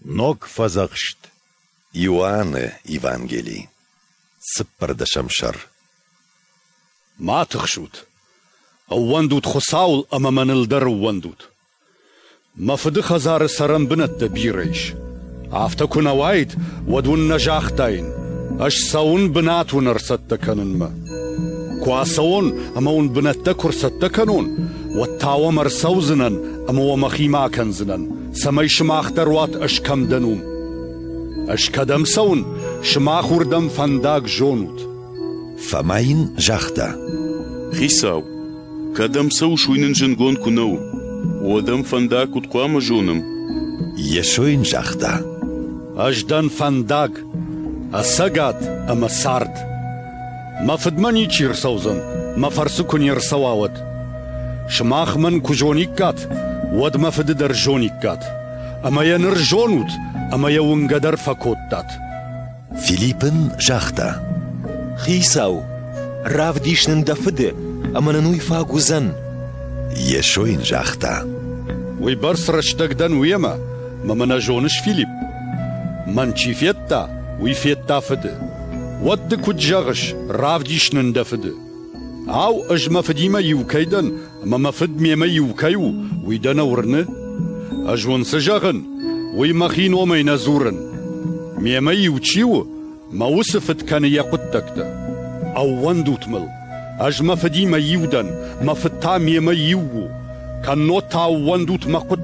Ног Фӕдзӕхст. Иоанны Евангели. Цыппӕрдӕсӕм сӕр. Ма тыхсут. Ӕууӕндут Хуыцауыл ӕмӕ мӕныл дӕр ӕууӕндут. Мӕ фыды хӕдзары цӕрӕнбынӕттӕ бирӕ ис. Афтӕ куы нӕ уаид, уӕд уын нӕ загътаин, ӕз цӕуын бынат уын ӕрцӕттӕ кӕнынмӕ. Куы ацӕуон ӕмӕ уын бынӕттӕ куы рцӕттӕ кӕнон, уӕд та уӕм ӕрцӕудзынӕн ӕмӕ уӕ мӕхимӕ акӕндзынӕн, цӕмӕй сымах дӕр уат ӕз кӕм дӕн, уым. Ӕз кӕдӕм цӕуын, сымах уырдӕм фӕндаг зонут. Фома йын загъта: Хицау, кӕдӕм цӕуыс, уый нын зындгонд куы нӕ у, уӕд ӕм фӕндаг куыд хъуамӕ зонӕм? Йесо йын загъта: Ӕз дӕн фӕндаг, ӕцӕгад ӕмӕ цард. Мӕ фыдмӕ ничи рцӕудзӕн, мӕ фӕрцы куы не рцӕуа, уӕд. Сымах мӕн куы зониккат, уӕд мӕ фыды дӕр зониккат. Ӕмӕ йӕ ныр зонут, ӕмӕ йӕ уынгӕ дӕр фӕкодтат. Филипп ын загъта: Хицау, равдис нын дӕ фыды, ӕмӕ нын уый фаг уыдзӕн. Йесо йын загъта: Уыйбӕрц рӕстӕг дӕн уемӕ, мӕ мӕ нӕ зоныс, Филипп? Мӕн чи федта, уый федта фыды. Уӕд ды куыд зӕгъыс, равдис нын дӕ фыды? Ау, ӕз мӕ фыдимӕ иу кӕй дӕн, ӕмӕ мӕ фыд мемӕ иу кӕй у, уый дӕ нӕ уырны? Ӕз уын цы зӕгъын, уый мӕхи номӕй нӕ дзурын. Мемӕ иу чи у, мӕ уыцы фыд кӕны йӕ хъуыддӕгтӕ. Ӕууӕндут мыл, ӕз мӕ фыдимӕ иу дӕн, мӕ фыд та мемӕ иу у. Кӕннод та ӕууӕндут мӕ хъуыддӕгтыл.